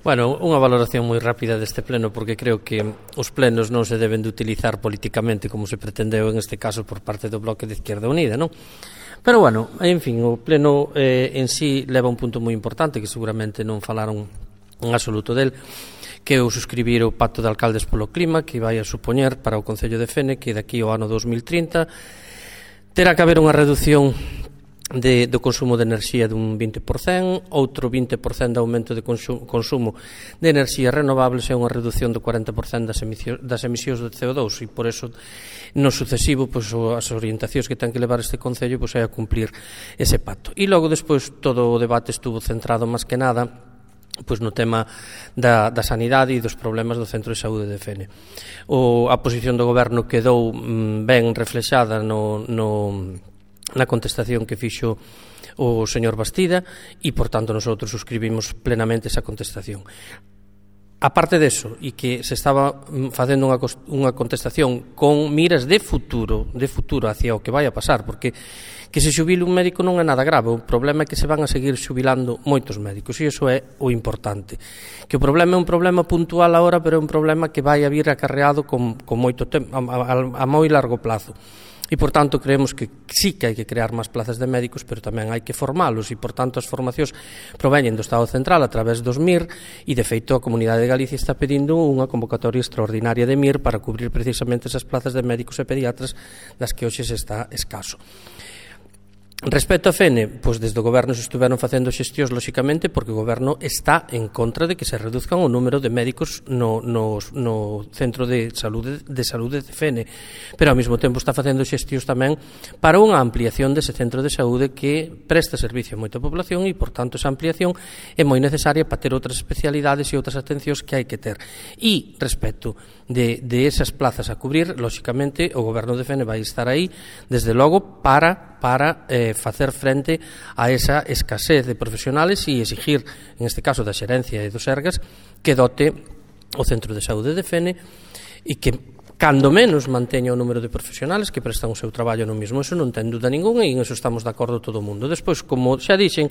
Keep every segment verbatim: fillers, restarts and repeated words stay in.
Bueno, unha valoración moi rápida deste pleno, porque creo que os plenos non se deben de utilizar políticamente como se pretendeu en este caso por parte do Bloque de Izquierda Unida, non? Pero, bueno, en fin, o pleno eh, en sí leva un punto moi importante que seguramente non falaron en absoluto del, que é o suscribir o Pacto de Alcaldes polo Clima, que vai a supoñer para o Concello de Fene que daqui ao ano dos mil trinta terá que haber unha reducción De, do consumo de enerxía dun vinte por cento, outro vinte por cento de aumento de consumo, consumo de enerxías renovables e unha reducción do cuarenta por cento das emisións, das emisións de C O dous, e por eso no sucesivo pois, as orientacións que ten que levar este Concello pois, é a cumplir ese pacto. E logo despois todo o debate estuvo centrado máis que nada pois no tema da, da sanidade e dos problemas do Centro de Saúde de Fene. O, a posición do Goberno quedou mm, ben reflexada no... no na contestación que fixo o señor Bastida e, por tanto, nosotros suscribimos plenamente esa contestación. A parte deso, e que se estaba facendo unha, unha contestación con miras de futuro, de futuro hacia o que vai a pasar, porque que se xubile un médico non é nada grave, o problema é que se van a seguir xubilando moitos médicos, e iso é o importante. Que o problema é un problema puntual agora, pero é un problema que vai a vir acarreado con, con moito tempo, a, a, a moi largo plazo. E, por tanto, creemos que sí que hai que crear máis plazas de médicos, pero tamén hai que formalos, e, por tanto, as formacións proveñen do Estado Central a través dos M I R, e, de feito, a Comunidade de Galicia está pedindo unha convocatoria extraordinaria de M I R para cubrir precisamente esas plazas de médicos e pediatras das que hoxe se está escaso. Respecto a Fene, pois desde o Goberno se estuveron facendo xestións, lóxicamente, porque o Goberno está en contra de que se reduzcan o número de médicos no, no, no Centro de Saúde, de Saúde de Fene, pero ao mesmo tempo está facendo xestións tamén para unha ampliación dese Centro de Saúde que presta servicio a moita población e, por tanto, esa ampliación é moi necesaria para ter outras especialidades e outras atencións que hai que ter. E, respecto de, de esas plazas a cubrir, lóxicamente, o Goberno de Fene vai estar aí, desde logo, para para eh, facer frente a esa escasez de profesionales e exigir, en este caso da Xerencia e do Sergas, que dote o Centro de Saúde de Fene e que cando menos manteña o número de profesionales que prestan o seu traballo no mismo. Eso non ten dúda ninguna e en eso estamos de acordo todo o mundo. Despois, como xa dixen,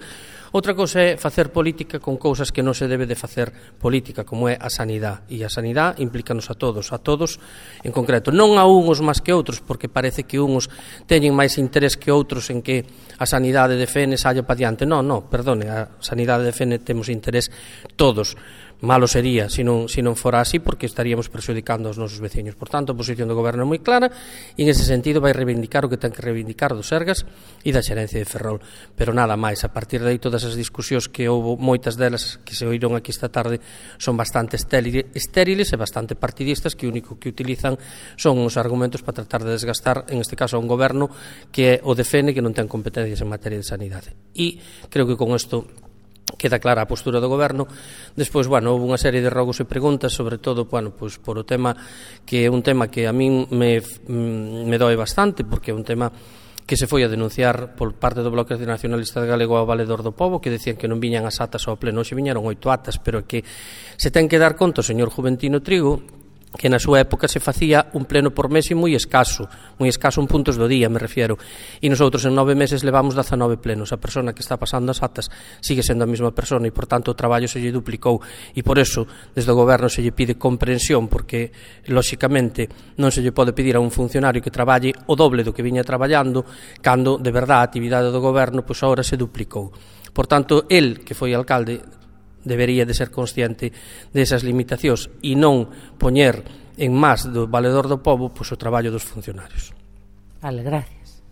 outra cousa é facer política con cousas que non se debe de facer política, como é a sanidade. E a sanidade implícanos a todos, a todos en concreto. Non a uns máis que outros, porque parece que uns teñen máis interés que outros en que a sanidade de Fene saia pa diante. Non, non, perdone, a sanidade de Fene temos interés todos. Malo sería se non, se non fora así, porque estaríamos perxudicando aos nosos veciños. Por tanto, a posición do Goberno é moi clara e, en ese sentido, vai reivindicar o que ten que reivindicar do Sergas e da Xerencia de Ferrol. Pero nada máis, a partir de aí, todas as discusións que houve, moitas delas que se oíron aquí esta tarde, son bastante estériles e bastante partidistas, que o único que utilizan son os argumentos para tratar de desgastar, en este caso, a un Goberno que é o de Fene, que non ten competencias en materia de sanidade. E creo que con isto queda clara a postura do Goberno. Despois, bueno, houve unha serie de rogos e preguntas, sobre todo, bueno, pois por o tema que é un tema que a min me, me doe bastante, porque é un tema que se foi a denunciar por parte do Bloque Nacionalista Galego ao Valedor do Pobo, que decían que non viñan as atas ao pleno. Hoxe viñeron oito atas, pero que se ten que dar conta o señor Juventino Trigo que na súa época se facía un pleno por mes e moi escaso, moi escaso en puntos do día, me refiero, e nosotros en nove meses levamos dezanove plenos. A persona que está pasando as atas sigue sendo a mesma persona e, por tanto, o traballo se lle duplicou, e por eso, desde o Goberno se lle pide comprensión, porque, lóxicamente, non se lle pode pedir a un funcionario que traballe o doble do que viña traballando, cando, de verdade, a actividade do Goberno, pois, agora se duplicou. Por tanto, el, que foi alcalde, debería de ser consciente desas limitacións e non poñer en más do valedor do pobo pois, o traballo dos funcionarios. Vale, gracias.